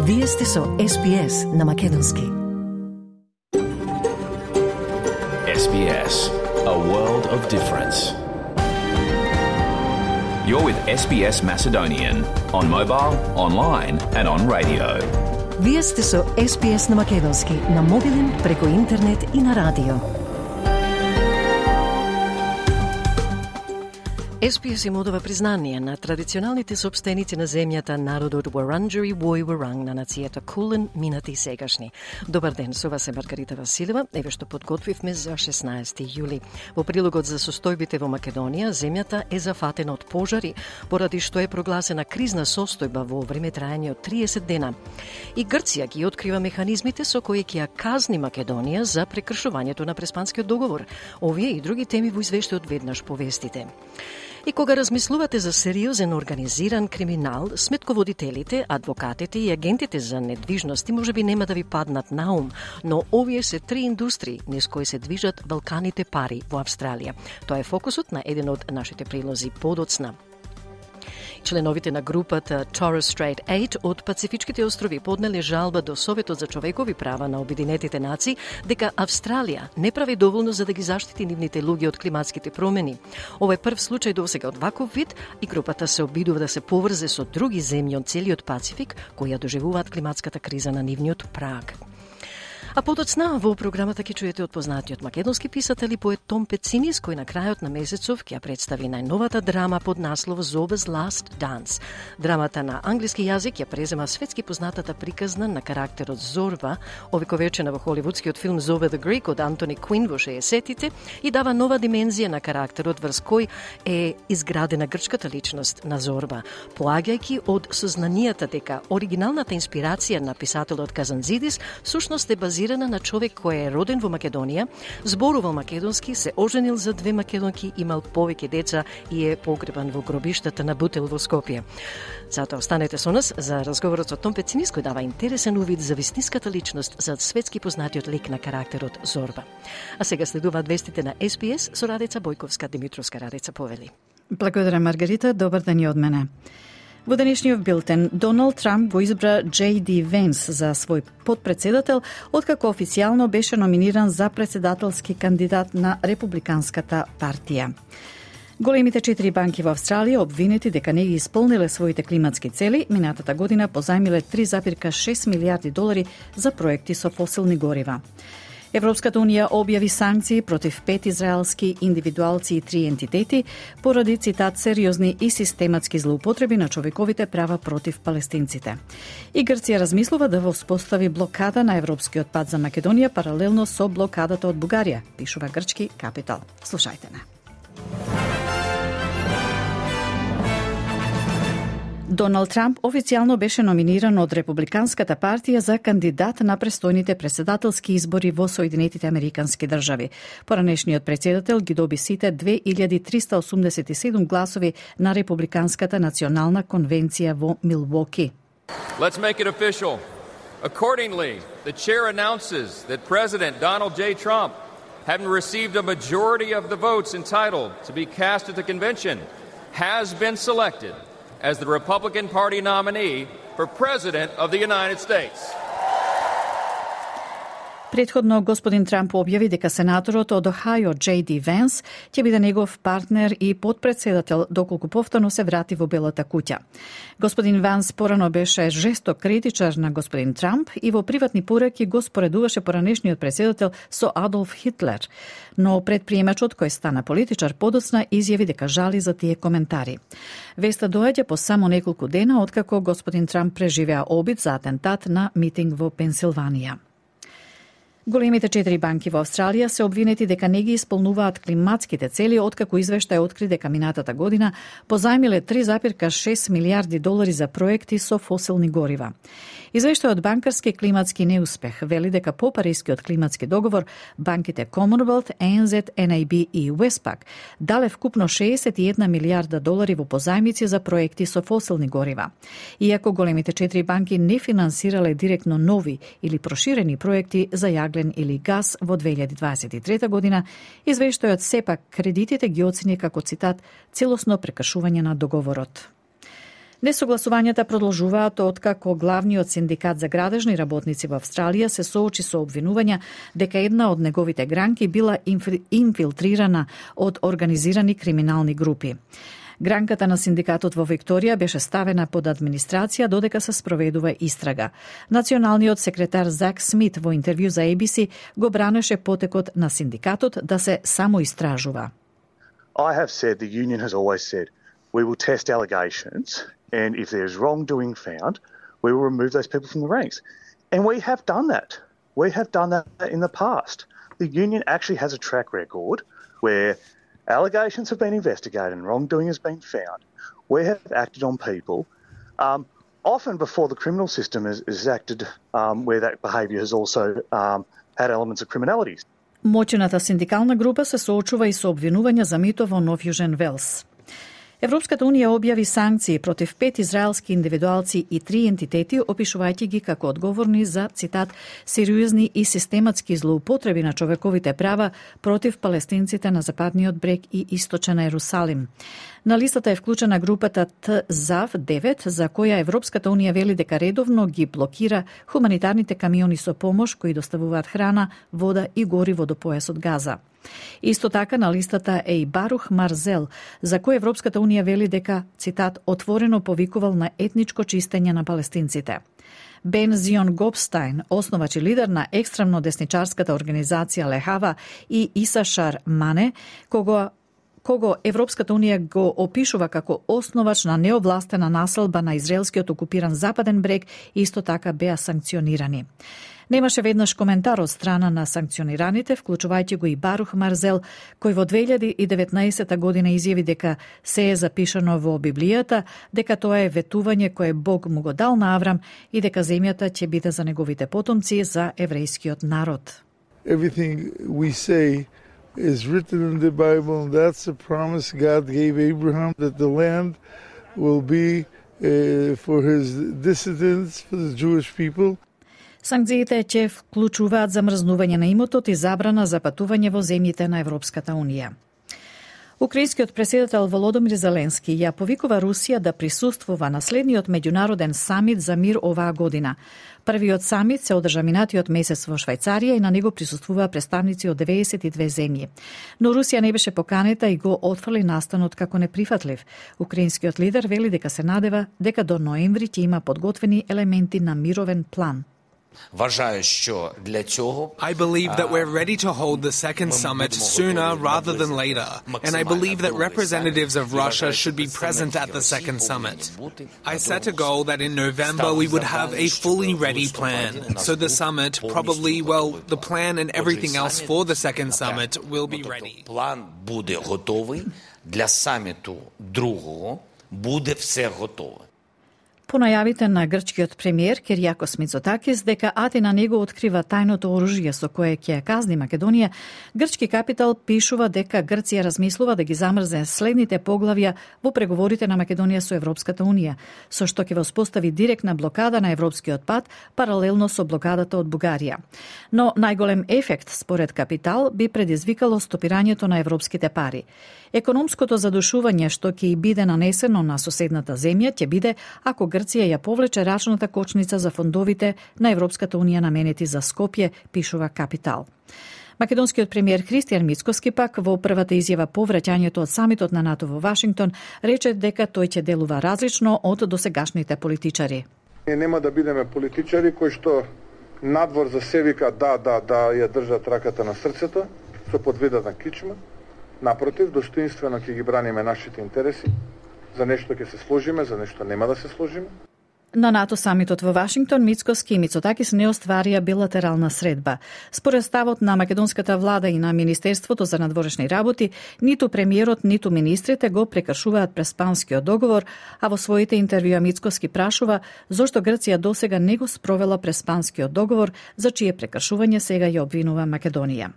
Вие сте со SBS на Македонски. SBS, a world of difference. You're with SBS Macedonian on mobile, online and on radio. Вие сте со SBS на Македонски на мобилен, преку интернет и на радио. SBS им одава признание на традиционалните сопстеници на земјата, народот Wurundjeri Woi Wurrung на нацијата Кулен, минати и сегашни. Добар ден, со вас е Маргарита Василева, еве што подготвивме за 16 јули. Во прилогот за состојбите во Македонија, земјата е зафатена од пожари, поради што е прогласена кризна состојба во време трајање од 30 дена. И Грција ги открива механизмите со кои ќе ја казни Македонија за прекршувањето на Преспанскиот договор. Овие и други теми во извештајот веднаш повестите. И кога размислувате за сериозен организиран криминал, сметководителите, адвокатите и агентите за недвижности можеби нема да ви паднат на ум, но овие се три индустрии низ кои се движат валканите пари во Австралија. Тоа е фокусот на еден од нашите прилози подоцна. Членовите на групата Torres Strait 8 од Пацифичките острови поднеле жалба до Советот за човекови права на Обединетите нации дека Австралија не прави доволно за да ги заштити нивните луѓе од климатските промени. Ова е прв случај досега од ваков вид и групата се обидува да се поврзе со други земји од целиот Пацифик кои ја доживуваат климатската криза на нивниот праг. А подоцна во програмата ќе чуете од познатиот македонски писател и поет Том Пецинис, кој на крајот на месецов ќе ја представи најновата драма под наслов Zorba's Last Dance. Драмата на англиски јазик ја презема светски познатата приказна на карактерот Зорба, овековечена во холивудскиот филм Zorba the Greek од Антони Квин во 60-тите и дава нова димензија на карактерот врз кој е изградена грчката личност на Зорба, поаѓајќи од сознанијата дека оригиналната инспирација на писателот Казанзидис сушност е базирана на човек кој е роден во Македонија, зборувал македонски, се оженил за 2 македонки, имал повеќе деца и е погребан во гробиштата на Бутел во Скопје. Затоа останете со нас за разговорот со Том Пецинис, кој дава интересен увид за вистинската личност за светски познатиот лик на карактерот Зорба. А сега следуваат вестите на SBS со Радица Бојковска, Димитровска. Радица, повели. Благодарам, Маргарита. Добар ден и од мене. Во денешниот билтен, Доналд Трамп го избра J.D. Венс за свој подпредседател, откако официјално беше номиниран за председателски кандидат на Републиканската партија. Големите 4 банки во Австралија обвинети дека не ги исполниле своите климатски цели, минатата година позајмиле 3,6 милиарди долари за проекти со фосилни горива. Европската Унија објави санкции против 5 израелски индивидуалци и 3 ентитети поради, цитат, сериозни и систематски злоупотреби на човековите права против палестинците. И Грција размислува да воспостави блокада на европскиот пат за Македонија паралелно со блокадата од Бугарија, пишува грчки Капитал. Слушајте на. Доналд Трамп официјално беше номиниран од Републиканската партија за кандидат на престојните председателски избори во Соединетите Американски држави. Поранешниот председател ги доби сите 2387 гласови на Републиканската национална конвенција во Милвоки. Let's make it official. Accordingly, the chair announces that President Donald J. Trump, having received a majority of the votes entitled to be cast at the convention, has been selected as the Republican Party nominee for President of the United States. Претходно, господин Трамп објави дека сенаторот од Охајо J.D. Венс ќе биде негов партнер и подпредседател доколку повторно се врати во Белата куќа. Господин Венс порано беше жесток критичар на господин Трамп и во приватни пораки го споредуваше поранешниот председател со Адолф Хитлер, но предприемачот кој стана политичар подоцна изјави дека жали за тие коментари. Веста доаѓа по само неколку дена откако господин Трамп преживеа обид за атентат на митинг во Пенсилванија. Големите 4 банки во Австралија се обвинети дека не ги исполнуваат климатските цели, откако извештај откри дека минатата година позајмиле 3,6 милиарди долари за проекти со фосилни горива. Извештајот банкарски климатски неуспех вели дека по Парискиот климатски договор банките Commonwealth, ANZ, NAB и Westpac дале вкупно 61 милиарда долари во позајмици за проекти со фосилни горива. Иако големите 4 банки не финансирале директно нови или проширени проекти за јаглен или газ во 2023 година, извештајот сепак кредитите ги оцени како, цитат, целосно прекршување на договорот. Несогласувањата продолжуваат откако главниот синдикат за градежни работници во Австралија се соочи со обвинувања дека една од неговите гранки била инфилтрирана од организирани криминални групи. Гранката на синдикатот во Викторија беше ставена под администрација додека се спроведува истрага. Националниот секретар Зак Смит во интервју за ABC го бранеше потекот на синдикатот да се самоистражува. I have said, the union has always said, we will test allegations, and if there is wrongdoing found, we will remove those people from the ranks. And we have done that. We have done that in the past. The union actually has a track record where allegations have been investigated and wrongdoing has been found. We have acted on people, often before the criminal system is acted, where that behaviour has also had elements of criminality. Моќната синдикална група се соочува и со обвинувања за мито во Нов Јужен Велс. Европската унија објави санкции против 5 израелски индивидуалци и 3 ентитети, опишувајќи ги како одговорни за, цитат, сериозни и систематски злоупотреби на човековите права против палестинците на Западниот брег и Источен Ерусалим. На листата е вклучена групата ТЗАВ-9, за која Европската унија вели дека редовно ги блокира хуманитарните камиони со помош кои доставуваат храна, вода и гориво до појасот Газа. Исто така на листата е и Барух Марзел, за кој Европската унија вели дека, цитат, отворено повикувал на етничко чистење на палестинците. Бен Зион Гопстайн, основач и лидер на екстремно десничарската организација Лехава, и Исашар Мане, кого Европската унија го опишува како основач на неовластена населба на израелскиот окупиран Западен брег, исто така беа санкционирани. Немаше веднаш коментар од страна на санкционираните, вклучувајќи го и Барух Марзел, кој во 2019 година изјави дека се е запишано во Библијата, дека тоа е ветување кое Бог му го дал на Аврам и дека земјата ќе биде за неговите потомци, за еврејскиот народ. Everything we say is written in the Bible, and that's a promise God gave Abraham, that the land will be for his descendants, for the Jewish people. Санкциите ќе вклучуваат замрзнување на имотот и забрана за патување во земјите на Европската унија. Украинскиот претседател Володомир Зеленски ја повикува Русија да присуствува на следниот меѓународен самит за мир оваа година. Првиот самит се одржа минатиот месец во Швајцарија и на него присуствуваа представници од 92 земји. Но Русија не беше поканета и го отфрли настанот како неприфатлив. Украинскиот лидер вели дека се надева дека до ноември ќе има подготвени елементи на мировен план. I believe that we're ready to hold the second summit sooner rather than later, and I believe that representatives of Russia should be present at the second summit. I set a goal that in November we would have a fully ready plan, so the summit probably, the plan and everything else for the second summit will be ready. План буде готовий, для саміту другого буде все готове. По најавите на грчкиот премиер Киријакос Мицотакис дека Атина не го открива тајното оружје со кое ќе ја казни Македонија, грчки капитал пишува дека Грција размислува да ги замрзне следните поглавја во преговорите на Македонија со Европската унија, со што ќе воспостави директна блокада на европскиот пат паралелно со блокадата од Бугарија. Но најголем ефект според капитал би предизвикало стопирањето на европските пари. Економското задушување што ќе и биде нанесено на соседната земја ќе биде ако Грција ја повлече рачната кочница за фондовите на Европската унија наменети за Скопје, пишува Капитал. Македонскиот премиер Христијан Мицкоски пак во првата изјава по враќањето од самитот на НАТО во Вашингтон рече дека тој ќе делува различно од досегашните политичари. Ние нема да бидеме политичари кои што надвор за се вика да ја држат раката на срцето со подведена кичма. Напротив, достоинствено ќе ги браниме нашите интереси. За нешто ќе се сложиме, за нешто нема да се сложиме. На НАТО самитот во Вашингтон Мицкоски и Мицотакис не остварија билатерална средба. Според ставот на македонската влада и на Министерството за надворешни работи, ниту премиерот, ниту министрите го прекршуваат Преспанскиот договор, а во своите интервјуа Мицкоски прашува зошто Грција досега не го спровела Преспанскиот договор, за чие прекршување сега ја обвинува Македонија.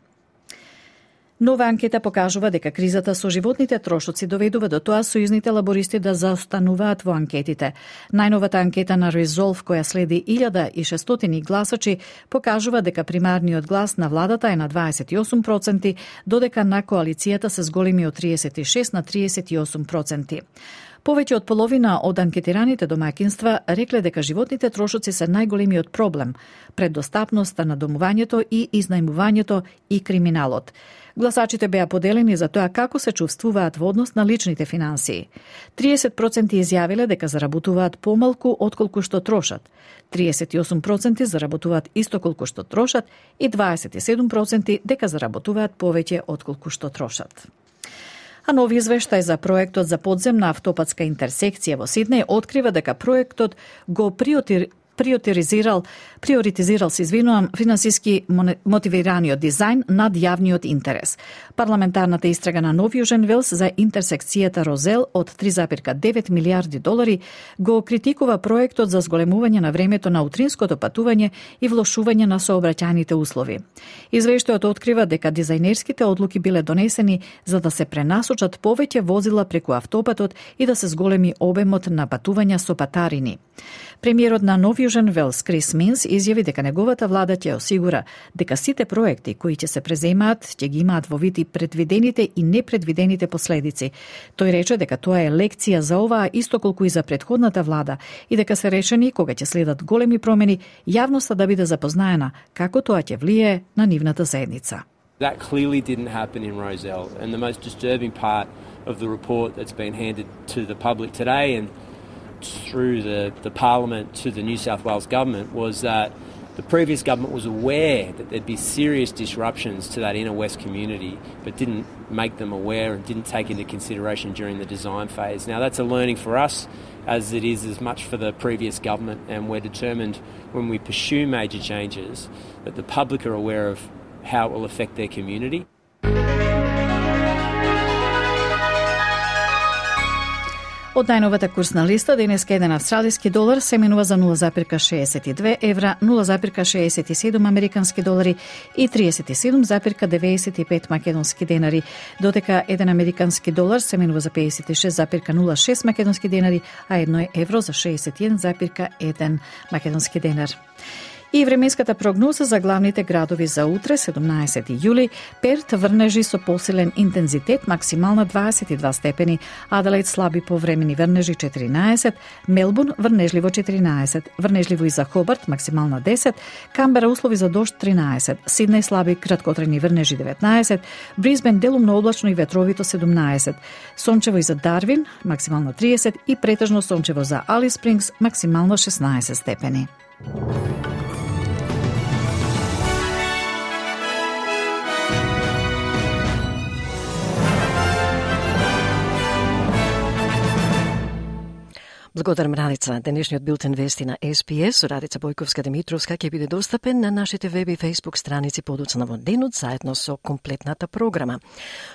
Нова анкета покажува дека кризата со животните трошоци доведува до тоа сојузните лабористи да заостануваат во анкетите. Најновата анкета на Resolve, која следи 1600 гласачи, покажува дека примарниот глас на владата е на 28%, додека на коалицијата се зголеми од 36 на 38%. Повеќе од половина од анкетираните домаќинства рекле дека животните трошоци се најголемиот проблем пред достапноста на домувањето и изнајмувањето и криминалот. Гласачите беа поделени за тоа како се чувствуваат во однос на личните финансии. 30% изјавиле дека заработуваат помалку отколку што трошат, 38% заработуваат исто колку што трошат и 27% дека заработуваат повеќе отколку што трошат. А нови извештај за проектот за подземна автопатска интерсекција во Сиднеј открива дека проектот го приоритизирал финансиски мотивираниот дизајн над јавниот интерес. Парламентарната истрага на Нов Јужен Велс за интерсекцијата Розел од 3,9 милиарди долари го критикува проектот за зголемување на времето на утринското патување и влошување на сообраќајните услови. Извештајот открива дека дизајнерските одлуки биле донесени за да се пренасочат повеќе возила преку автопатот и да се зголеми обемот на патувања со патарини. Премиерот на Нов Јужен Велс Крис Минс изјави дека неговата влада ќе осигура дека сите проекти кои ќе се преземаат ќе ги имаат во вид и предвидените и непредвидените последици. Тој рече дека тоа е лекција за оваа исто колку и за претходната влада и дека се решени кога ќе следат големи промени јавноста да биде запознаена како тоа ќе влие на нивната заедница. That clearly didn't happen in Rozelle, and the most disturbing part of the report that's been handed to the public today and through the Parliament to the New South Wales Government was that the previous government was aware that there'd be serious disruptions to that inner west community, but didn't make them aware and didn't take into consideration during the design phase. Now that's a learning for us, as it is as much for the previous government, and we're determined when we pursue major changes that the public are aware of how it will affect their community. Од најновата курсна листа, денеска еден австралиски долар се менува за 0,62 евра, 0,67 американски долари и 37,95 македонски денари, додека еден американски долар се менува за 56,06 македонски денари, а едно евро за 61,1 македонски денар. И временската прогноза за главните градови за утре, 17 јули, Перт врнежи со посилен интензитет, максимална 22 степени, Аделаид слаби повремени врнежи 14, Мелбурн врнежливо 14, врнежливо и за Хобарт, максимална 10, Камбера услови за дожд 13, Сиднеј слаби краткотрени врнежи 19, Брисбен делумно облачно и ветровито 17, сончево и за Дарвин, максимална 30 и претежно сончево за Алис Спрингс, максимално 16 степени. Благодарам, Радица. Денешниот билтен вести на SPS со Радица Бојковска-Димитровска ќе биде достапен на нашите веб и фейсбук страници подоцна во денот, заедно со комплетната програма.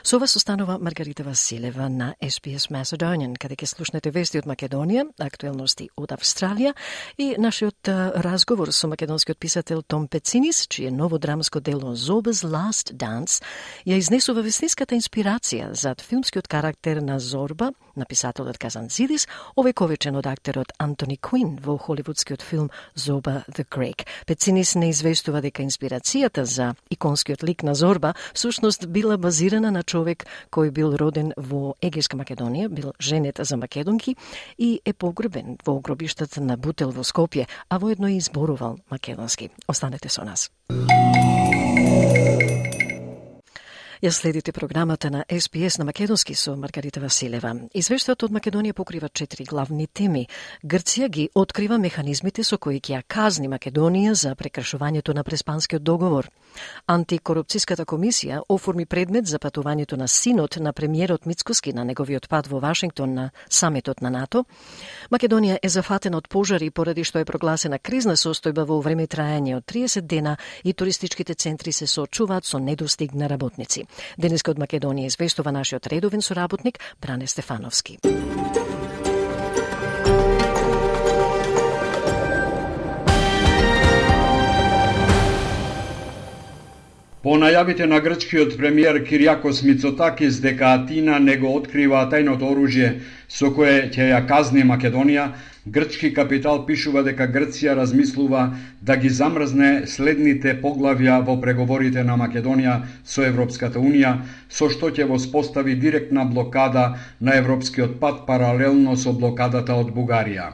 Со вас останува Маргарита Василева на SPS Macedonian, каде ќе слушнете вести од Македонија, актуелности од Австралија и нашиот разговор со македонскиот писател Том Пецинис, чие ново драмско дело Zoba's Last Dance ја изнесува вестинската инспирација зад филмскиот карактер на Зорба, на писателот Казанцидис, овековечен од актерот Антони Куин во холивудскиот филм Zoba the Greek. Пецинис не известува дека инспирацијата за иконскиот лик на Зорба всушност била базирана на човек кој бил роден во Егејска Македонија, бил женет за македонки и е погребен во гробиштата на Бутел во Скопје, а воедно и изборувал македонски. Останете со нас. Ја следите програмата на SPS на македонски со Маргарита Василева. Извештајот од Македонија покрива 4 главни теми. Грција ги открива механизмите со кои ќе ја казни Македонија за прекршувањето на Преспанскиот договор. Антикорупцијската комисија оформи предмет за патувањето на синот на премиерот Мицкоски на неговиот пат во Вашингтон на самитот на НАТО. Македонија е зафатена од пожари поради што е прогласена кризна состојба во време трајање од 30 дена и туристичките центри се соочуваат со недостиг на работници. Денеска од Македонија известува нашиот редовен соработник Бране Стефановски. По најавите на грчкиот премиер Кириакос Мицотакис дека Атина не го открива тајното оружје со кое ќе ја казни Македонија, Грчки Капитал пишува дека Грција размислува да ги замрзне следните поглавја во преговорите на Македонија со Европската Унија, со што ќе воспостави директна блокада на европскиот пат паралелно со блокадата од Бугарија.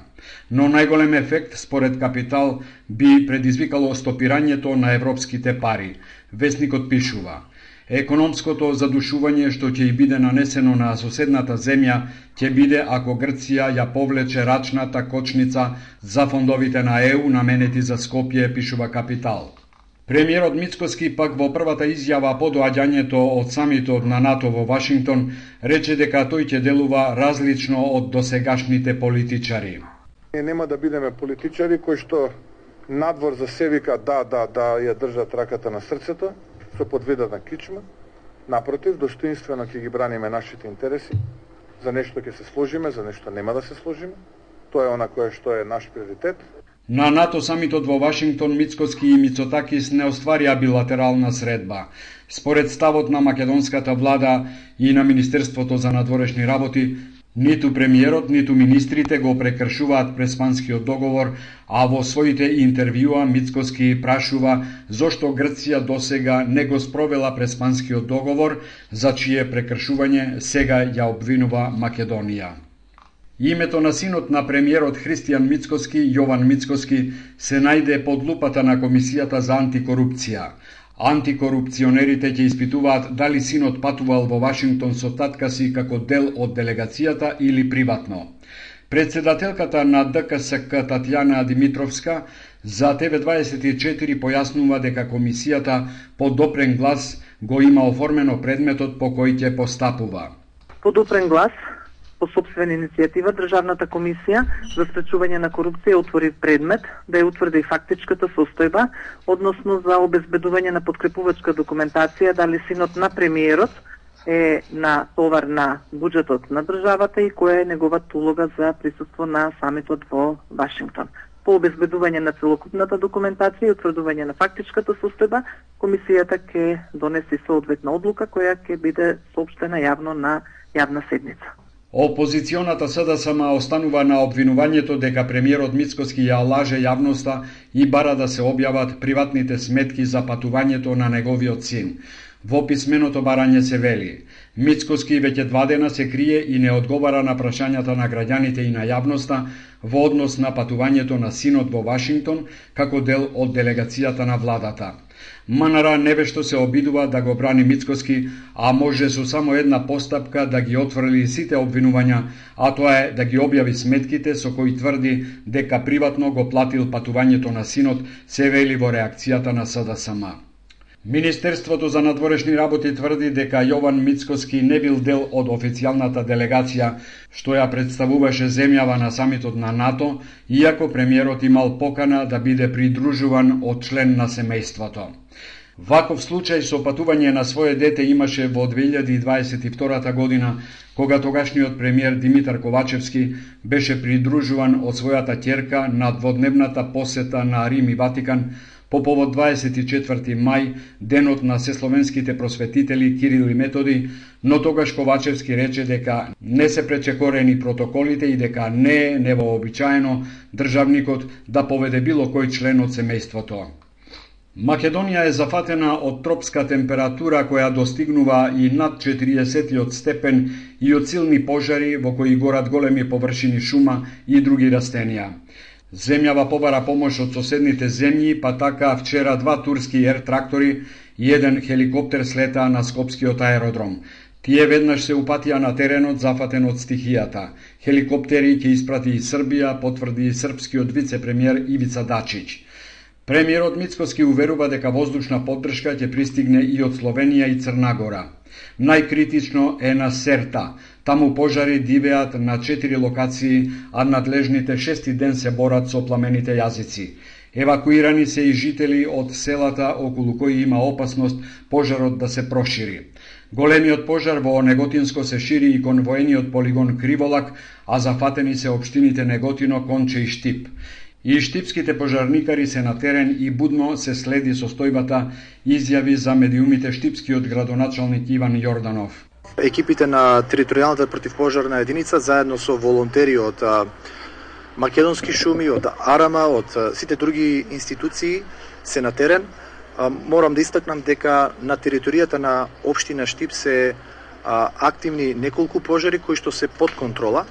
Но најголем ефект, според Капитал, би предизвикало стопирањето на европските пари. Весникот пишува: економското задушување што ќе и биде нанесено на соседната земја ќе биде ако Грција ја повлече рачната кочница за фондовите на ЕУ наменети за Скопје, пишува Капитал. Премиерот Мицкоски пак во првата изјава по доаѓањето од самитот на НАТО во Вашингтон рече дека тој ќе делува различно од досегашните политичари. Ние нема да бидеме политичари кои што надвор за се вика да ја држат раката на срцето, со подвида на кичма. Напротив, достоинствено ќе ги браниме нашите интереси. За нешто ќе се сложиме, за нешто нема да се сложиме. Тоа е она кое што е наш приоритет. На НАТО самитот во Вашингтон Мицкоски и Мицотакис не остварија билатерална средба. Според ставот на македонската влада и на Министерството за надворешни работи, ниту премиерот, ниту министрите го прекршуваат Преспанскиот договор, а во своите интервјуа Мицкоски прашува зошто Грција досега не го спровела Преспанскиот договор, за чие прекршување сега ја обвинува Македонија. Името на синот на премиерот Христијан Мицкоски, Јован Мицкоски, се најде под лупата на Комисијата за антикорупција. Антикорупционерите ќе испитуваат дали синот патувал во Вашингтон со татка си како дел од делегацијата или приватно. Председателката на ДКСК Татјана Димитровска за ТВ24 појаснува дека комисијата по допрен глас го има оформено предметот по кој ќе постапува. По допрен глас, по собствена иницијатива, Државната комисија за спречување на корупција отвори предмет да ја утврди фактичката состојба, односно за обезбедување на подкрепувачка документација дали синот на премиерот е на товар на буџетот на државата и која е неговата улога за присуство на самитот во Вашингтон. По обезбедување на целокупната документација и утврдување на фактичката состојба, комисијата ќе донесе соодветна одлука која ќе биде соопштена јавно на јавна седница. Опозиционата СДСМ останува на обвинувањето дека премиерот Мицкоски ја лаже јавноста и бара да се објават приватните сметки за патувањето на неговиот син. Во писменото барање се вели: Мицкоски веќе 2 дена се крие и не одговара на прашањата на граѓаните и на јавноста во однос на патувањето на синот во Вашингтон како дел од делегацијата на владата. МНР невешто се обидува да го брани Мицкоски, а може со само една постапка да ги отфрли сите обвинувања, а тоа е да ги објави сметките со кои тврди дека приватно го платил патувањето на синот, се вели во реакцијата на СДСМ. Министерството за надворешни работи тврди дека Јован Мицкоски не бил дел од официјалната делегација што ја представуваше земјава на самитот на НАТО, иако премиерот имал покана да биде придружуван од член на семејството. Ваков случај со патување на свое дете имаше во 2022 година, кога тогашниот премиер Димитар Ковачевски беше придружуван од својата ќерка на дводневната посета на Рим и Ватикан по повод 24 мај, денот на сесловенските просветители Кирил и Методи, но тогаш Ковачевски рече дека не се пречекорени протоколите и дека не е невообичаено државникот да поведе било кој член од семејството. Македонија е зафатена од тропска температура која достигнува и над 40 степен и од силни пожари во кои горат големи површини шума и други растенија. Земјава побара помош од соседните земји, па така вчера 2 турски ер-трактори и 1 хеликоптер слетаа на Скопскиот аеродром. Тие веднаш се упатија на теренот зафатен од стихијата. Хеликоптери ќе испрати и Србија, потврди и српскиот вице-премиер Ивица Дачич. Премиерот Мицкоски уверува дека воздушна поддршка ќе пристигне и од Словенија и Црна Гора. Најкритично е на Серта. Таму пожари дивеат на 4 локации, а надлежните 6 ден се борат со пламените јазици. Евакуирани се и жители од селата околу кои има опасност пожарот да се прошири. Големиот пожар во Неготинско се шири и кон воениот полигон Криволак, а зафатени се општините Неготино, Конче и Штип. И штипските пожарникари се на терен и будно се следи состојбата, изјави за медиумите штипскиот градоначалник Иван Јорданов. Екипите на територијалната противпожарна единица заедно со волонтери од Македонски шуми, од Арама, од сите други институции се на терен. Морам да истакнам дека на територијата на општина Штип се активни неколку пожари кои што се под контрола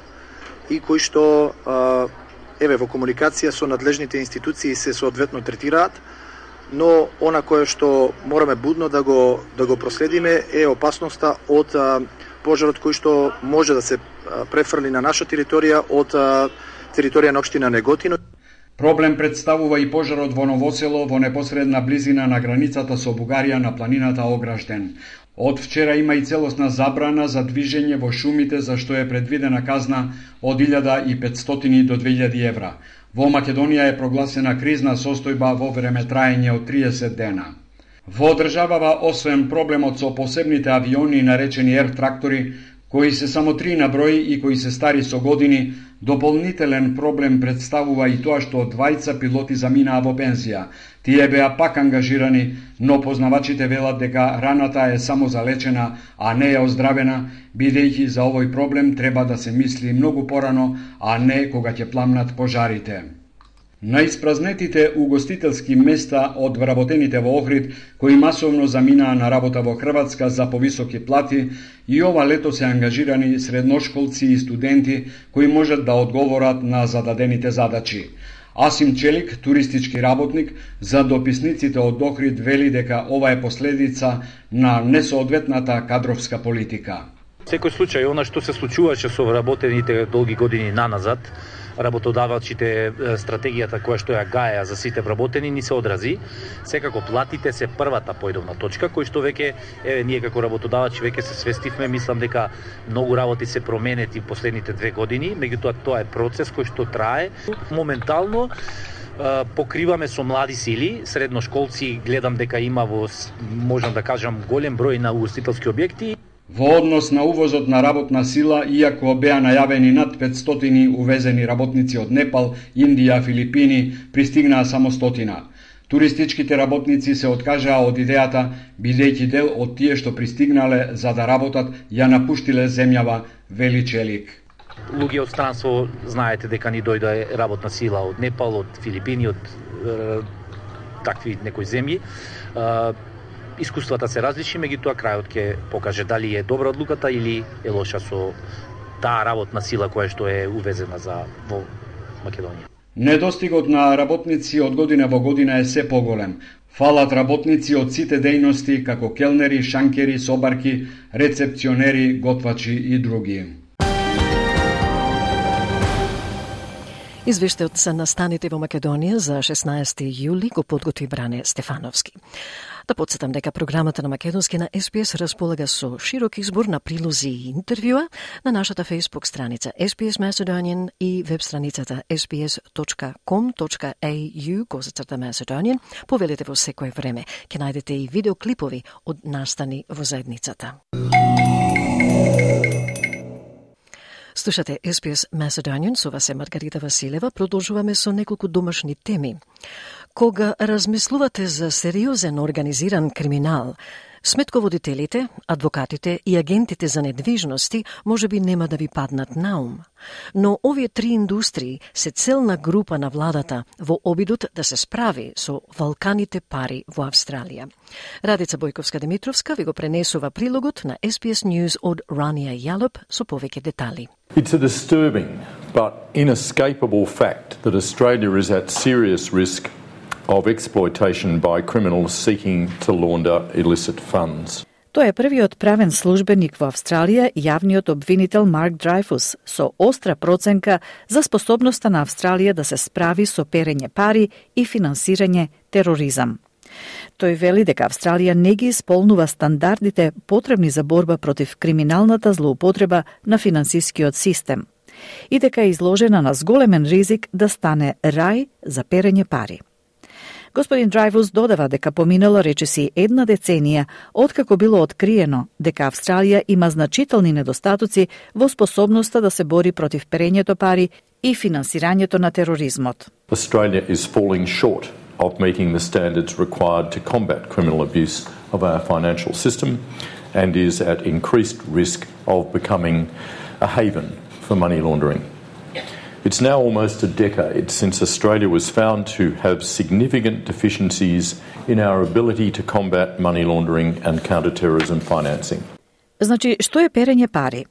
и кои што во комуникација со надлежните институции се соодветно третираат, но она кое што мораме будно да го проследиме е опасноста од пожарот кој што може да се префрли на наша територија од територија на општина Неготино. Проблем представува и пожарот во Новосело во непосредна близина на границата со Бугарија на планината Огражден. Од вчера има и целосна забрана за движење во шумите за што е предвидена казна од 1500 до 2000 евра. Во Македонија е прогласена кризна состојба во време траење од 30 дена. Во државава, освен проблемот со посебните авиони наречени ер-трактори, кои се само 3 на број и кои се стари со години, дополнителен проблем представува и тоа што двајца пилоти заминаа во пензија. Тие беа пак ангажирани, но познавачите велат дека раната е само залечена, а не е оздравена, бидејќи за овој проблем треба да се мисли многу порано, а не кога ќе пламнат пожарите. На испразнетите угостителски места од вработените во Охрид, кои масовно заминаа на работа во Хрватска за повисоки плати, и ова лето се ангажирани средношколци и студенти кои можат да одговорат на зададените задачи. Асим Челик, туристички работник, за дописниците од Охрид вели дека ова е последица на несоодветната кадровска политика. Секој случај, она што се случуваше со вработените долги години наназад, работодавачите, стратегијата која што ја гаја за сите вработени ни се одрази. Секако платите се првата појдовна точка, кој што веќе ние како работодавачи веќе се свестивме, мислам дека многу работи се променети в последните 2 години, меѓутоа тоа е процес кој што трае. Моментално покриваме со млади сили, средношколци, гледам дека има во, можам да кажам, голем број на угостителски објекти. Во однос на увозот на работна сила, иако беа најавени над 500 увезени работници од Непал, Индија, Филипини, пристигнаа само 100. Туристичките работници се откажаа од идејата, бидејќи дел од тие што пристигнале за да работат ја напуштиле земјава, вели Челик. Луѓе од странство, знаете дека ни дојде работна сила од Непал, од Филипини, од такви некои земји. Искуствата се различни, меѓутоа крајот ќе покаже дали е добра одлуката или е лоша со таа работна сила која што е увезена во Македонија. Недостигот на работници од година во година е се поголем. Фалат работници од сите дејности како келнери, шанкери, собарки, рецепционери, готвачи и други. Извештајот за настаните во Македонија за 16 јули го подготви Бране Стефановски. Да подсетам дека програмата на македонски на SPS располага со широк избор на прилози и интервјуа на нашата Facebook страница SPS Macedonian и веб страницата sps.com.au/Macedonian. Повелете во секое време. Ќе најдете и видеоклипови од настани во заедницата. Слушате SPS Macedonian, со вас е Маргарита Василева. Продолжуваме со неколку домашни теми. Кога размислувате за сериозен организиран криминал, сметководителите, адвокатите и агентите за недвижности може би нема да ви паднат на ум. Но овие 3 индустрии се целна група на владата во обидот да се справи со валканите пари во Австралија. Радица Бојковска-Димитровска ви го пренесува прилогот на SPS News од Рания Јалоп со повеќе детали. It's a disturbing but inescapable fact that Australia is at serious risk of exploitation by criminals seeking to launder illicit funds. Тоа е првиот правен службеник во Австралија, јавниот обвинител Марк Дрейфус, со остра проценка за способноста на Австралија да се справи со перење пари и финансирање тероризам. Тој вели дека Австралија не ги исполнува стандардите потребни за борба против криминалната злоупотреба на финансискиот систем и дека е изложена на зголемен ризик да стане рај за перење пари. Господин Дрейфус додава дека поминала речиси 1 деценија откако било откриено дека Австралија има значителни недостатоци во способноста да се бори против перењето пари и финансирањето на тероризмот. Australia is falling short of meeting the standards required to combat criminal abuse of our financial system and is at increased risk of becoming a haven for money laundering. It's now almost a decade since Australia was found to have significant deficiencies in our ability to combat money laundering and counter-terrorism financing. Значи, што е перење пари?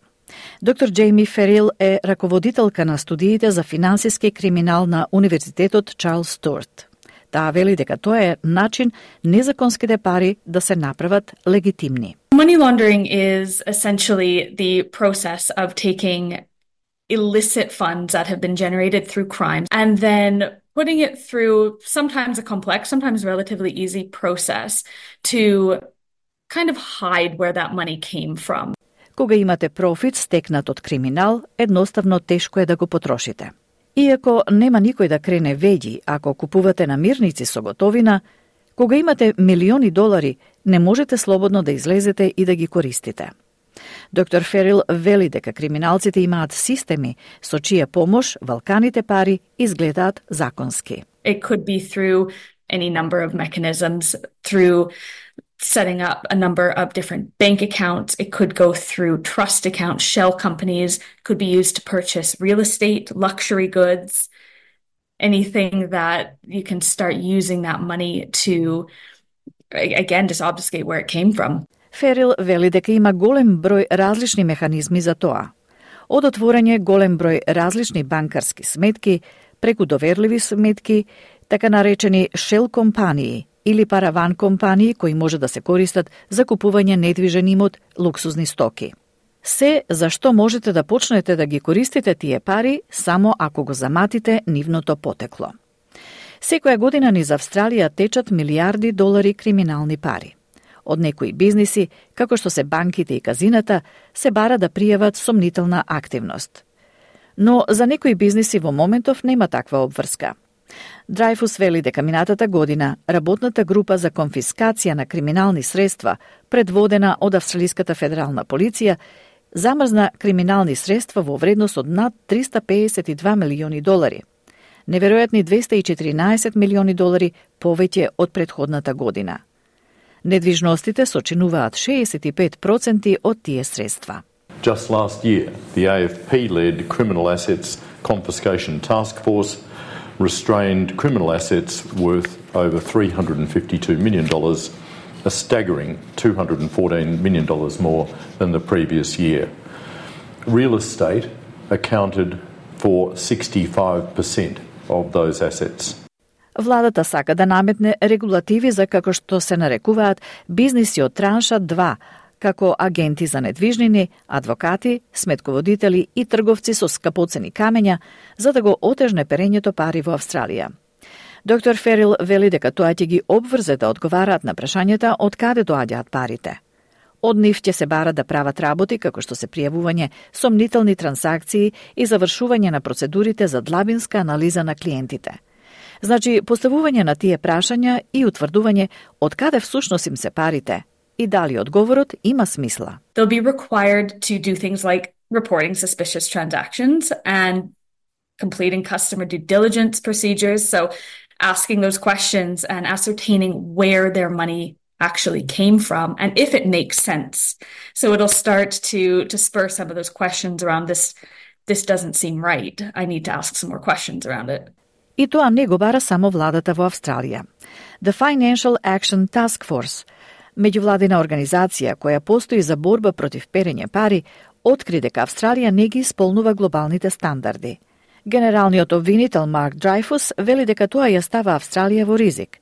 Доктор Джейми Ферил е раководителка на студиите за финансиски криминал на Универзитетот Чарлс Стюарт. Таа вели дека тоа е начин незаконските пари да се направат легитимни. Money laundering is essentially the process of taking illicit funds that have been generated through crimes and then putting it through sometimes a complex, sometimes relatively easy process to kind of hide where that money came from. Кога имате профит стекнат од криминал, едноставно тешко е да го потрошите. Иако нема никој да крене веќе ако купувате намирници со готовина, кога имате милиони долари, не можете слободно да излезете и да ги користите. Доктор Ферил вели дека криминалците имаат системи со чија помош валканите пари изгледаат законски. It could be through any number of mechanisms, through setting up a number of different bank accounts. It could go through trust accounts, shell companies, could be used to purchase real estate, luxury goods, anything that you can start using that money to, again, just obfuscate where it came from. Ферил вели дека има голем број различни механизми за тоа. Од отворање голем број различни банкарски сметки, преку доверливи сметки, така наречени shell компании или параван компании кои може да се користат за купување недвижен имот, луксузни стоки. Се за што можете да почнете да ги користите тие пари само ако го заматите нивното потекло. Секоја година низ Австралија течат милиарди долари криминални пари. Од некои бизниси, како што се банките и казината, се бара да пријават сомнителна активност. Но за некои бизниси во моментов нема таква обврска. Драйфус вели дека минатата година работната група за конфискација на криминални средства, предводена од Австралиската федерална полиција, замрзна криминални средства во вредност од над 352 милиони долари. Неверојатни 214 милиони долари повеќе од претходната година. Недвижностите сочинуваат 65% од тие средства. Just last year, the AFP-led Criminal Assets Confiscation Task Force restrained criminal assets worth over $352 million, a staggering $214 million more than the previous year. Real estate accounted for 65% of those assets. Владата сака да наметне регулативи за како што се нарекуваат бизниси од транша 2, како агенти за недвижнини, адвокати, сметководители и трговци со скапоцени камења, за да го отежне перењето пари во Австралија. Доктор Ферил вели дека тоа ќе ги обврзе да одговараат на прашањата од каде доаѓаат парите. Од нив ќе се бара да прават работи како што се пријавување сомнителни трансакции и завршување на процедурите за длабинска анализа на клиентите. Значи, поставување на тие прашања и утврдување од каде всушност им се парите и дали одговорот има смисла. They'll be required to do things like reporting suspicious transactions and completing customer due diligence procedures, so asking those questions and ascertaining where their money actually came from and if it makes sense. So it'll start to spur some of those questions around this doesn't seem right. I need to ask some more questions around it. И тоа не го бара само владата во Австралија. The Financial Action Task Force, меѓувладина организација која постои за борба против перење пари, откри дека Австралија не ги исполнува глобалните стандарди. Генералниот обвинител Марк Драйфус вели дека тоа ја става Австралија во ризик.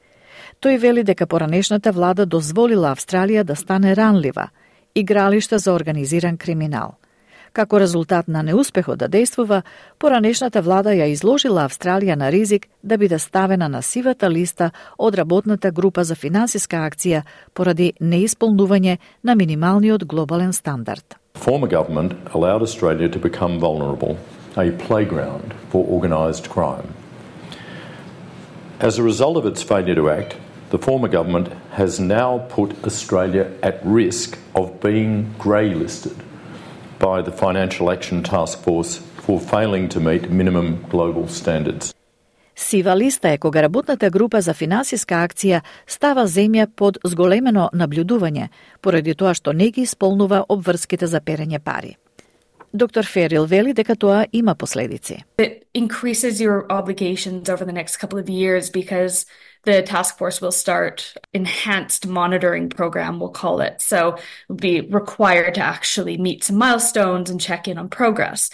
Тој вели дека поранешната влада дозволила Австралија да стане ранлива, игралиште за организиран криминал. Како резултат на неуспехот да действува, поранешната влада ја изложила Австралија на ризик да биде ставена на сивата листа од работната група за финансиска акција поради неисполнување на минималниот глобален стандард. Former government allowed Australia to become vulnerable, a playground for organised crime. As a result of its failure to act, the former government has now put Australia at risk of being grey-listed by the Financial Action Task Force for failing to meet minimum global standards. Сива листа е кога работната група за финансиска акција става земја под зголемено наблюдување, поради тоа што не ги исполнува обврските за перење пари. Доктор Ферил вели дека тоа има последици. It increases your obligations over the next couple of years because the task force will start enhanced monitoring program, we'll call it. So we'll be required to actually meet some milestones and check in on progress.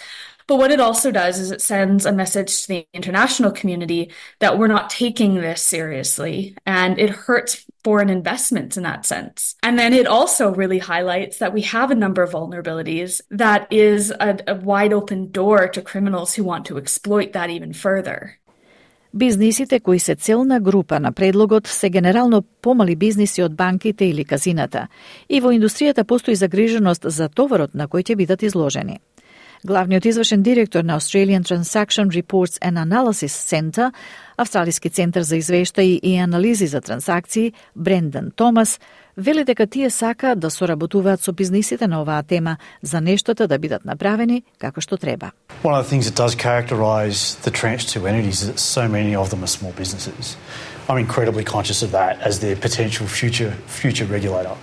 But what it also does is it sends a message to the international community that we're not taking this seriously, and it hurts foreign investments in that sense. And then it also really highlights that we have a number of vulnerabilities that is a wide open door to criminals who want to exploit that even further. Бизнисите кои се целна група на предлогот се генерално помали бизниси од банките или казината, и во индустријата постои загриженост за товарот на кој ќе бидат изложени. Главниот извршен директор на Australian Transaction Reports and Analysis Center, Австралиски центар за извештаи и анализи за трансакции, Брендан Томас, вели дека тие сака да соработуваат со бизнисите на оваа тема за нештата да бидат направени како што треба. One of the things that does characterise the Tranche 2 entities is that so many of them are small businesses. I'm incredibly conscious of that as their potential future regulator.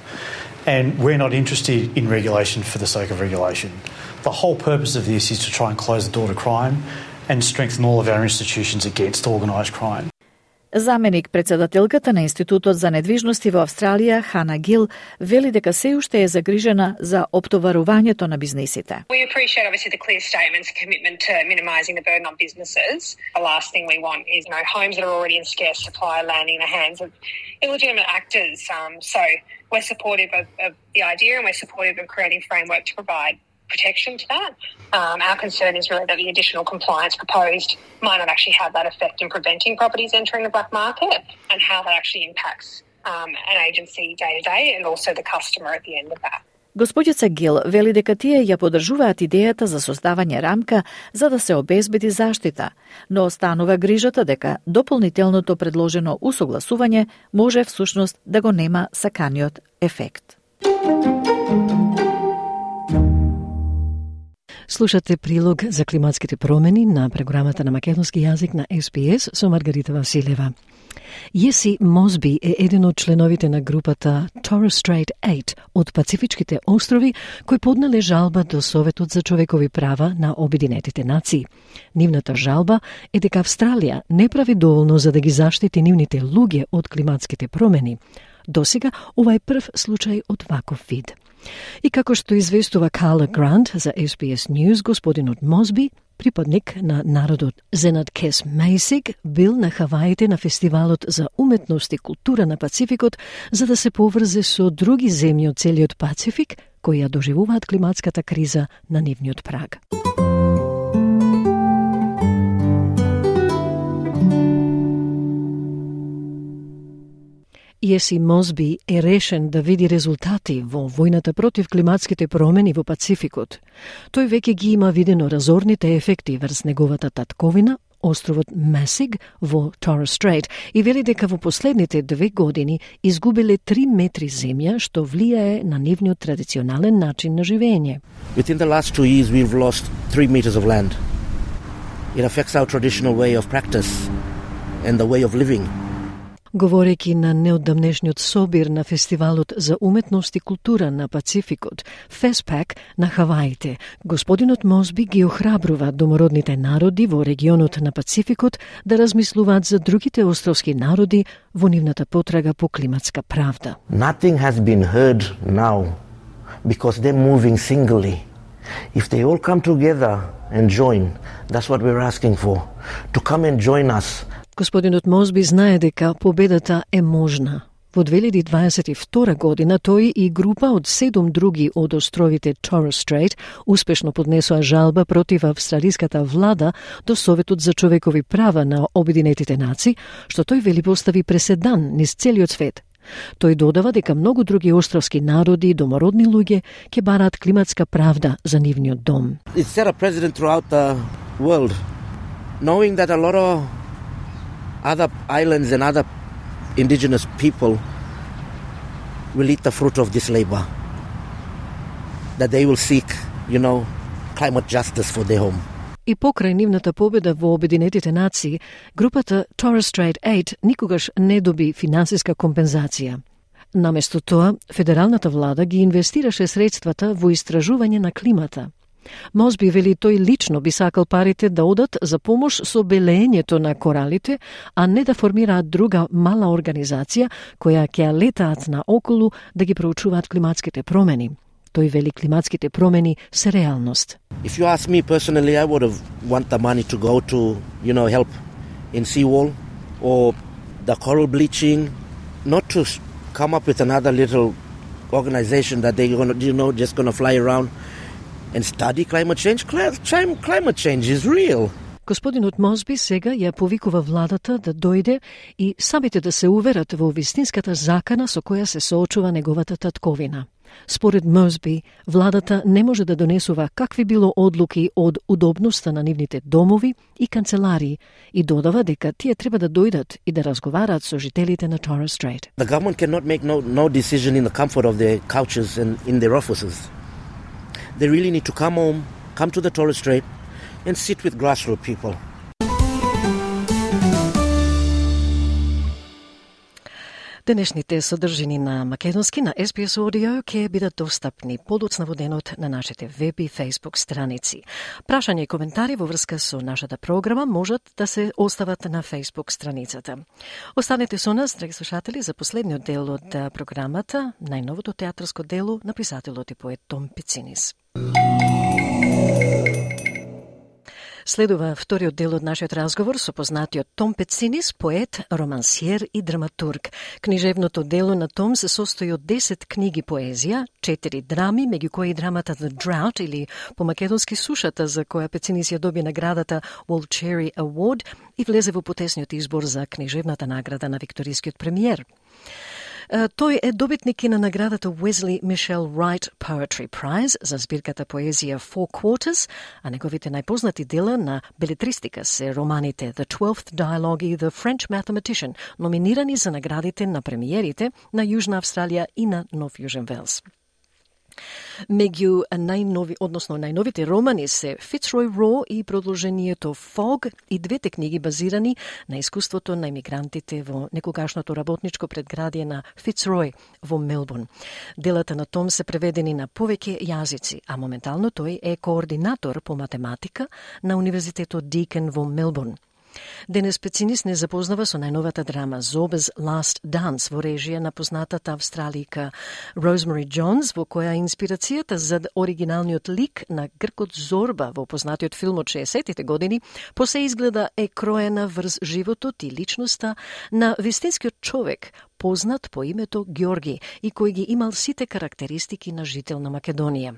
And we're not interested in regulation for the sake of regulation. The whole purpose of this is to try and close the door to crime and strengthen all of our institutions against organised crime. Заменик председателката на Институтот за недвижности во Австралија, Хана Гил, вели дека се уште е загрижена за оптоварувањето на бизнисите. We appreciate obviously the clear statements and commitment to minimising the burden on businesses. The last thing we want is, homes that are already in scarce supply landing in the hands of illegitimate actors. So we're supportive of the idea, and we're supportive of creating framework to provide protection to that. Our concern is really that the additional compliance proposed might not actually have that effect in preventing properties entering the black market, and how that actually impacts an agency day to day and also the customer at the end of that. Господица Гил вели дека тие ја поддржуваат идејата за создавање рамка за да се обезбеди заштита, но останува грижата дека дополнителното предложено усогласување може всушност да го нема саканиот ефект. Слушате прилог за климатските промени на програмата на македонски јазик на SBS со Маргарита Василева. Јеси Мосби е еден од членовите на групата Torres Strait 8 од Пацифичките острови, кој поднале жалба до Советот за човекови права на Обединетите нации. Нивната жалба е дека Австралија не прави доволно за да ги заштити нивните луѓе од климатските промени. Досега ова е прв случај од ваков вид. И како што известува Карла Грант за SBS News, господинот Мосби, припадник на народот Зенат-Кес Мейсиг, бил на Хаваите на фестивалот за уметност и култура на Пацификот за да се поврзе со други земји од целиот Пацифик кои ја доживуваат климатската криза на нивниот праг. Јеси Мосби е решен да види резултати во војната против климатските промени во Пацификот. Тој веќе ги има видено разорните ефекти врз неговата татковина, островот Месиг во Torres Strait, и вели дека во последните 2 години изгубиле 3 метри земја, што влијае на нивниот традиционален начин на живење. Within the last 2 years we've lost 3 meters of land. It affects our traditional way of practice and the way of living. Говорејќи на неодамнешниот собир на Фестивалот за уметност и култура на Пацификот, FESPAC на Хаваите, господинот Мосби ги охрабрува домородните народи во регионот на Пацификот да размислуваат за другите островски народи во нивната потрага по климатска правда. Nothing has been heard now because they're moving singly. If they all come together and join, that's what we're asking for, to come and join us. Господинот Мосби знае дека победата е можна. Во 2022 година тој и група од 7 други од островите Torres Strait успешно поднесоа жалба против австралиската влада до Советот за човекови права на Обединетите нации, што тој вели постави преседан низ целиот свет. Тој додава дека многу други островски народи и домородни луѓе ќе бараат климатска правда за нивниот дом. It set a precedent throughout the world, knowing that a lot of other islands and other indigenous people will eat the fruit of this labor. That they will seek, climate justice for their home. И покрај нивната победа во Обединетите нации, групата Torres Strait 8 никогаш не доби финансиска компензација. Наместо тоа, федералната влада ги инвестираше средствата во истражување на климата. Мосби вели тој лично би сакал парите да одат за помош со белеењето на коралите, а не да формираат друга мала организација која ќе летаат на околу да ги проучуваат климатските промени. Тој вели климатските промени се реалност. If you ask me personally, I would have want the money to go to, help in seawall or the coral bleaching, not to come up with another little organization that they're going to, just going to fly around and study climate change. Climate change is real. Господинот Мосби сега ја повикува владата да дојде и самите да се уверат во вистинската закана со која се соочува неговата татковина. Според Мосби, владата не може да донесува какви било одлуки од удобноста на нивните домови и канцеларии и додава дека тие треба да дојдат и да разговараат со жителите на Torres Strait. The government cannot make no decision in the comfort of their couches and in their offices. They really need to come home, come to the Torres Strait and sit with grassroots people. Денешните содржини на македонски на SBS Audio ќе бидат достапни подоцна во денот на нашите веб и Facebook страници. Прашања и коментари во врска со нашата програма можат да се остават на Facebook страницата. Останете со нас, драги слушатели, за последниот дел од програмата, најновото театарско дело на писателот и поет Том Пецинис. Следува вториот дел од нашиот разговор со познатиот Том Пецинис, поет, романсиер и драматург. Книжевното дело на Том се состои од 10 книги поезија, 4 драми, меѓу кои драмата The Drought или по македонски Сушата, за која Пецинис ја доби наградата Wall Cherry Award и влезе во потесниот избор за книжевната награда на Викторискиот премиер. Тој е добитник и на наградата Wesley Michelle Wright Poetry Prize за збирката поезија Four Quarters, а неговите најпознати дела на белетристика се романите The Twelfth Dialogue и The French Mathematician, номинирани за наградите на премиерите на Јужна Австралија и на Нов Јужен Велс. Меѓу најновите романи се Fitzroy Raw и продолжението Fog и двете книги базирани на искуството на имигрантите во некогашното работничко предградие на Fitzroy во Мелбурн. Делата на Том се преведени на повеќе јазици, а моментално тој е координатор по математика на Универзитетот Deakin во Мелбурн. Денес Пецинис не запознава со најновата драма Zorba's Last Dance во режија на познатата австралика Rosemary Jones, во која инспирацијата за оригиналниот лик на гркот Зорба во познатиот филм од 60-тите години посе изгледа е кроена врз животот и личноста на вистинскиот човек, познат по името Ѓорги и кој ги имал сите карактеристики на жител на Македонија.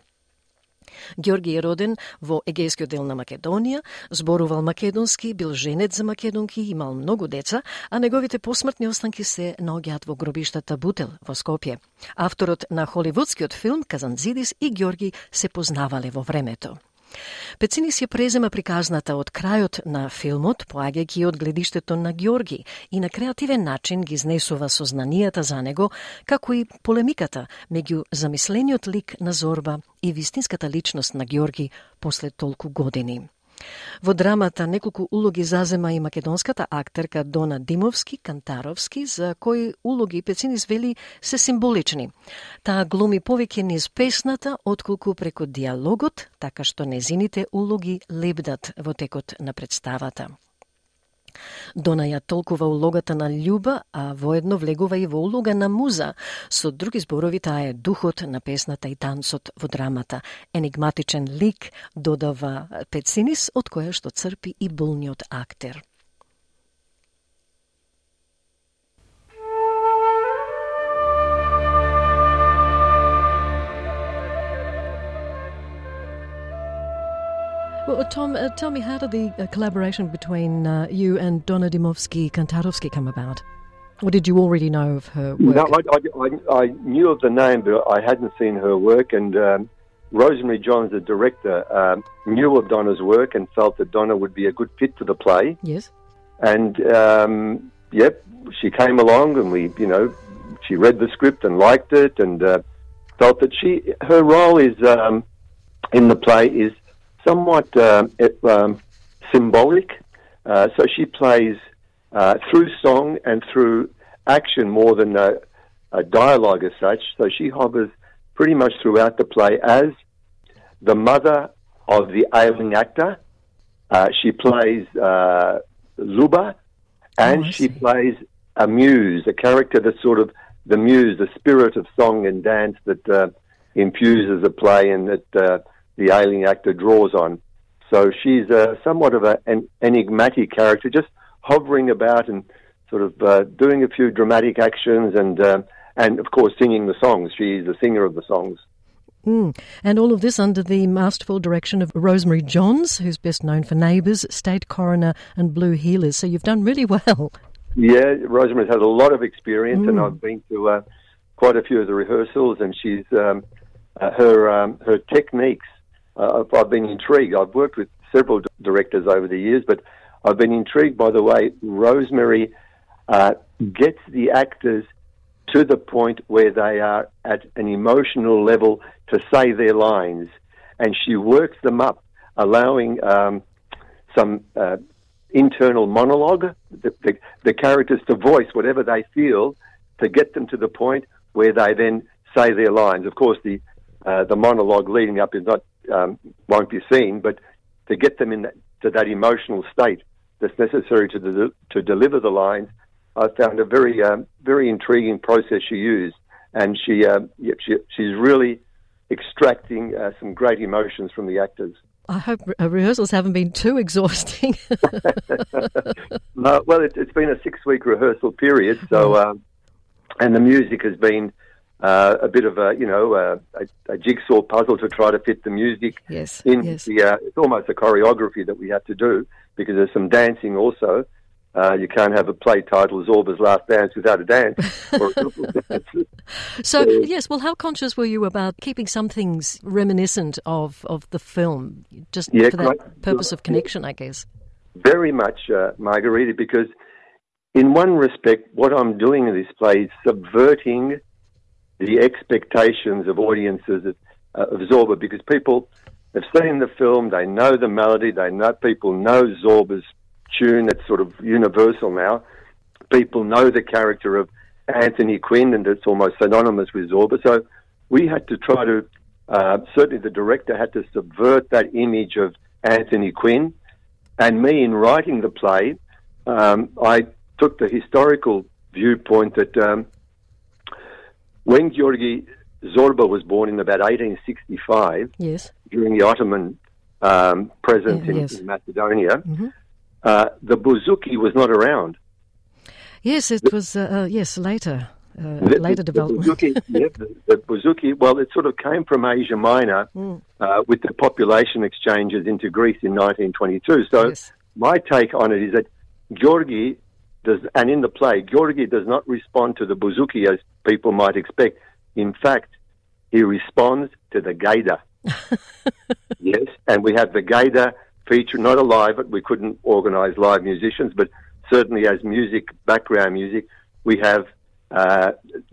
Ѓорги е роден во егејскиот дел на Македонија, зборувал македонски, бил женет за македонки, имал многу деца, а неговите посмртни останки се наоѓаат во гробиштата Бутел во Скопје. Авторот на холивудскиот филм Казанзидис и Ѓорги се познавале во времето. Пецинис ја презема приказната од крајот на филмот, поаѓајќи од гледиштето на Ѓорги и на креативен начин ги изнесува сознанијата за него, како и полемиката меѓу замислениот лик на Зорба и вистинската личност на Ѓорги после толку години. Во драмата неколку улоги зазема и македонската актерка Дона Димовски-Кантаровски, за кои улоги Пецинис вели се символични. Таа глуми повеќе низ песната, отколку преку диалогот, така што незините улоги лебдат во текот на представата. Дона ја толкува улогата на Љуба, а воедно влегува и во улога на муза. Со други зборови, таа е духот на песната и танцот во драмата. Енигматичен лик, додава Пецинис, од која што црпи и болниот актер. Well, Tom, tell me, how did the collaboration between you and Donna Dymowski-Kantarovski come about? Or did you already know of her work? No, I knew of the name, but I hadn't seen her work. And Rosemary Johns, the director, knew of Donna's work and felt that Donna would be a good fit for the play. Yes. And, she came along and she read the script and liked it and felt that her role is in the play is somewhat symbolic. So she plays through song and through action more than a dialogue as such. So she hovers pretty much throughout the play as the mother of the ailing actor. She plays Zuba, and she plays a muse, a character that's sort of the muse, the spirit of song and dance that infuses the play and that the ailing actor draws on. So she's somewhat of an enigmatic character, just hovering about and sort of doing a few dramatic actions and of course singing the songs. She's the singer of the songs. And all of this under the masterful direction of Rosemary Johns, who's best known for Neighbours, State Coroner and Blue Heelers. So you've done really well. Yeah, Rosemary's had a lot of experience, and I've been to quite a few of the rehearsals, and she's her techniques. I've been intrigued. I've worked with several directors over the years, but I've been intrigued by the way Rosemary gets the actors to the point where they are at an emotional level to say their lines, and she works them up, allowing some internal monologue, the characters to voice whatever they feel to get them to the point where they then say their lines. Of course, the monologue leading up is not won't be seen, but to get them to that emotional state that's necessary to deliver the lines, I found a very very intriguing process she used, and she's really extracting some great emotions from the actors. I hope rehearsals haven't been too exhausting. No, well, it's been a 6-week rehearsal period, so and the music has been a bit of a jigsaw puzzle to try to fit the music in. Yes. It's almost a choreography that we have to do because there's some dancing also. You can't have a play titled Zorba's Last Dance without a dance. Or a dance. So, yes, well, how conscious were you about keeping some things reminiscent of the film, just for that purpose of connection, I guess? Very much, Margarita, because in one respect, what I'm doing in this play is subverting the expectations of audiences of Zorba, because people have seen the film, they know the melody, people know Zorba's tune that's sort of universal now. People know the character of Anthony Quinn, and it's almost synonymous with Zorba. So we had to try to, certainly the director had to subvert that image of Anthony Quinn. And me, in writing the play, I took the historical viewpoint that when Georgi Zorba was born in about 1865, during the Ottoman presence in Macedonia, the bouzouki was not around. Yes, it was, later. Later development. The bouzouki, well, it sort of came from Asia Minor with the population exchanges into Greece in 1922. So my take on it is that Georgi does, and in the play, Georgi does not respond to the bouzouki as people might expect. In fact, he responds to the gaida. Yes, and we have the gaida feature, not alive, but we couldn't organise live musicians, but certainly as music, background music, we have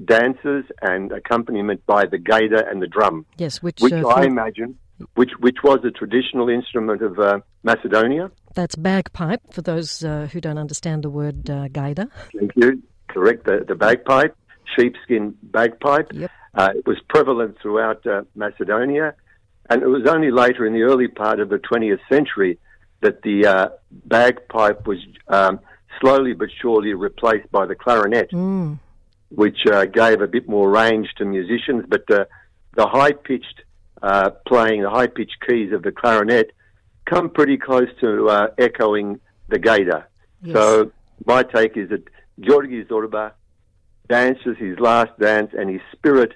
dances and accompaniment by the gaida and the drum. Yes, which I imagine, which was a traditional instrument of Macedonia. That's bagpipe, for those who don't understand the word gaida. Thank you. Correct, the bagpipe, sheepskin bagpipe. Yep. It was prevalent throughout Macedonia, and it was only later in the early part of the 20th century that the bagpipe was slowly but surely replaced by the clarinet, which gave a bit more range to musicians. But the high-pitched playing, the high-pitched keys of the clarinet come pretty close to echoing the gaida. Yes. So my take is that Georgi Zorba dances his last dance and his spirit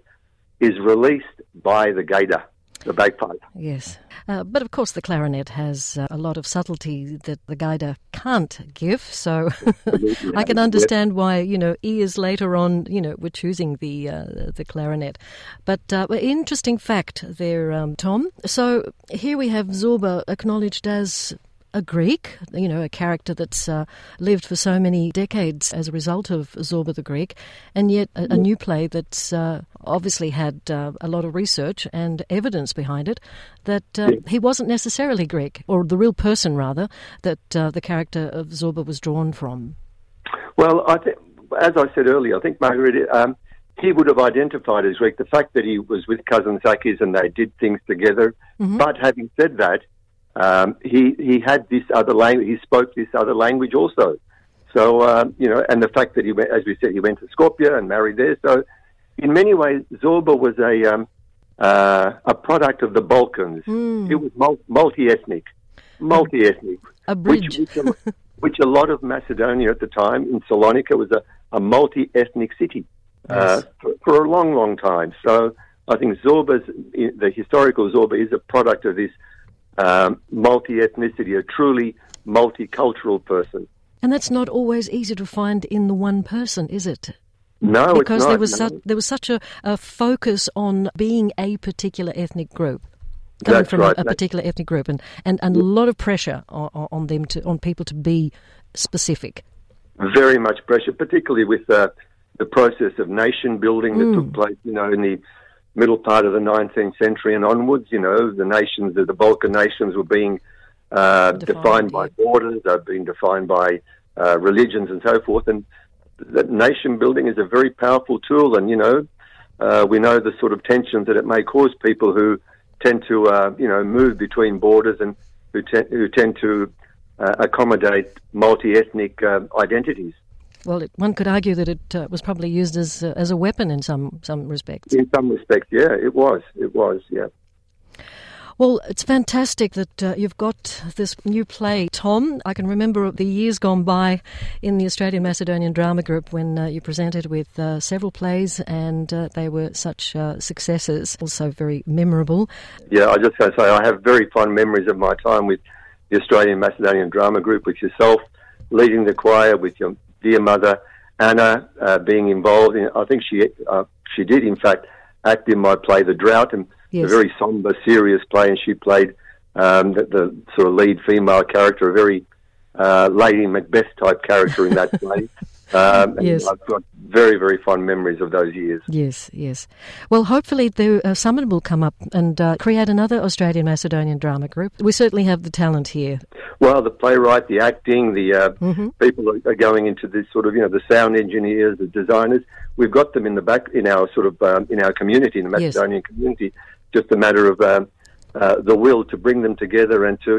is released by the gaida, the bagpipe. Yes. But of course the clarinet has a lot of subtlety that the gaida can't give, so I can understand why, years later on, we're choosing the clarinet. But interesting fact there, Tom. So here we have Zorba acknowledged as a Greek, a character that's lived for so many decades as a result of Zorba the Greek, and yet a new play that's obviously had a lot of research and evidence behind it that he wasn't necessarily Greek, or the real person, rather, that the character of Zorba was drawn from. Well, I think, as I said earlier, I think, Margaret, he would have identified as Greek. The fact that he was with Kazantzakis and they did things together. Mm-hmm. But having said that, he had this other language. He spoke this other language also. So, and the fact that he went, as we said, he went to Skopje and married there. So, in many ways, Zorba was a product of the Balkans. Mm. It was multi-ethnic. A bridge. Which a lot of Macedonia at the time, in Salonika, was a multi-ethnic city for a long, long time. So I think the historical Zorba is a product of this multi-ethnicity, a truly multicultural person. And that's not always easy to find in the one person, is it? No, because it's not. There was such a focus on being a particular ethnic group. Coming That's from right. a particular ethnic group, and a lot of pressure on them on people to be specific. Very much pressure, particularly with the process of nation building that took place, in the middle part of the 19th century and onwards. The Balkan nations were being defined by borders, they're being defined by religions and so forth, and that nation building is a very powerful tool. And we know the sort of tensions that it may cause people who tend to, move between borders and who tend to accommodate multi-ethnic identities. Well, one could argue that it was probably used as a weapon in some respects. In some respects, yeah, it was, yeah. Well, it's fantastic that you've got this new play, Tom. I can remember the years gone by in the Australian Macedonian Drama Group when you presented with several plays, and they were such successes, also very memorable. Yeah, I just got to say I have very fond memories of my time with the Australian Macedonian Drama Group, with yourself leading the choir, with your dear mother, Anna, being involved in. I think she did, in fact, act in my play, The Drought, and a very somber, serious play, and she played the sort of lead female character, a very Lady Macbeth type character in that play. Yes. I've got very, very fond memories of those years. Yes. Well, hopefully someone will come up and create another Australian Macedonian drama group. We certainly have the talent here. Well, the playwright, the acting, the people are going into this sort of, the sound engineers, the designers. We've got them in the back in our sort of in our community, in the Macedonian community. Just a matter of the will to bring them together and to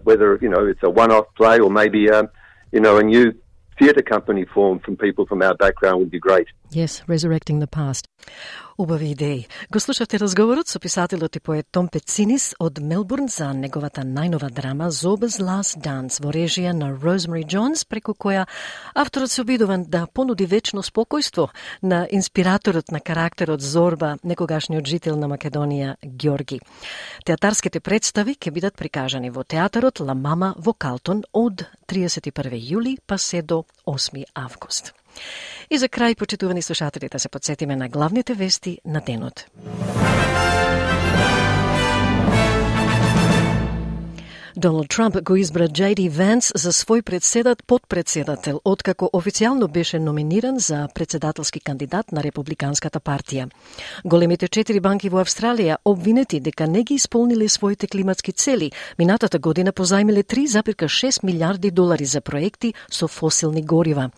whether it's a one-off play or maybe a new theatre company formed from people from our background would be great. Yes, resurrecting the past. Убави идеи. Го слушавте разговорот со писателот и поет Том Пецинис од Мелбурн за неговата најнова драма Zorba's Last Dance во режија на Rosemary Jones, преку која авторот се обидува да понуди вечно спокојство на инспираторот на карактерот Зорба, некогашниот жител на Македонија Ѓорги. Театарските представи ќе бидат прикажани во театарот Ла Мама во Калтон од 31 јули па се до 8 август. И за крај, почитувани слушатели, да се подсетиме на главните вести на денот. Доналд Трамп го избра J.D. Венс за свој подпредседател, откако официјално беше номиниран за председателски кандидат на Републиканската партија. Големите 4 банки во Австралија обвинети дека не ги исполниле своите климатски цели, минатата година позајмиле 3,6 милиарди долари за проекти со фосилни горива.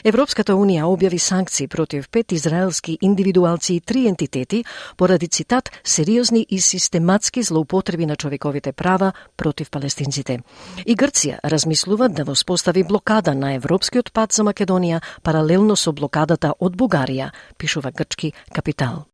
Европската Унија објави санкции против 5 израелски индивидуалци и 3 ентитети поради, цитат, сериозни и систематски злоупотреби на човековите права против палестинците. И Грција размислува да воспостави блокада на европскиот пат за Македонија паралелно со блокадата од Бугарија, пишува грчки Капитал.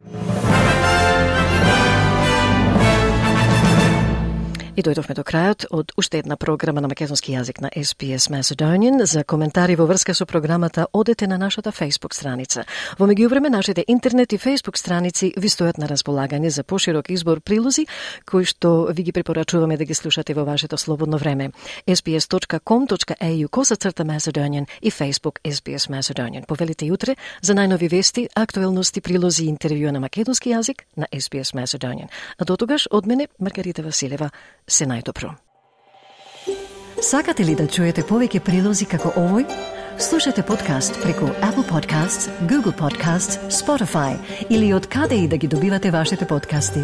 И дојдовме до крајот од уште една програма на македонски јазик на SBS Macedonian. За коментари во врска со програмата одете на нашата Facebook страница. Во меѓувреме нашите интернет и Facebook страници ви стојат на располагање за поширок избор прилози кои што ви ги препорачуваме да ги слушате во вашето слободно време. sbs.com.au/Macedonian и Facebook SBS Macedonian. Повелите јутре за најнови вести, актуелности, прилози и интервјуа на македонски јазик на SBS Macedonian. А дотогаш од мене Маргарита Василева. Се најдобро. Сакате ли да чуете повеќе прилози како овој? Слушате подкаст преку Apple Podcasts, Google Podcasts, Spotify или од каде и да ги добивате вашите подкасти.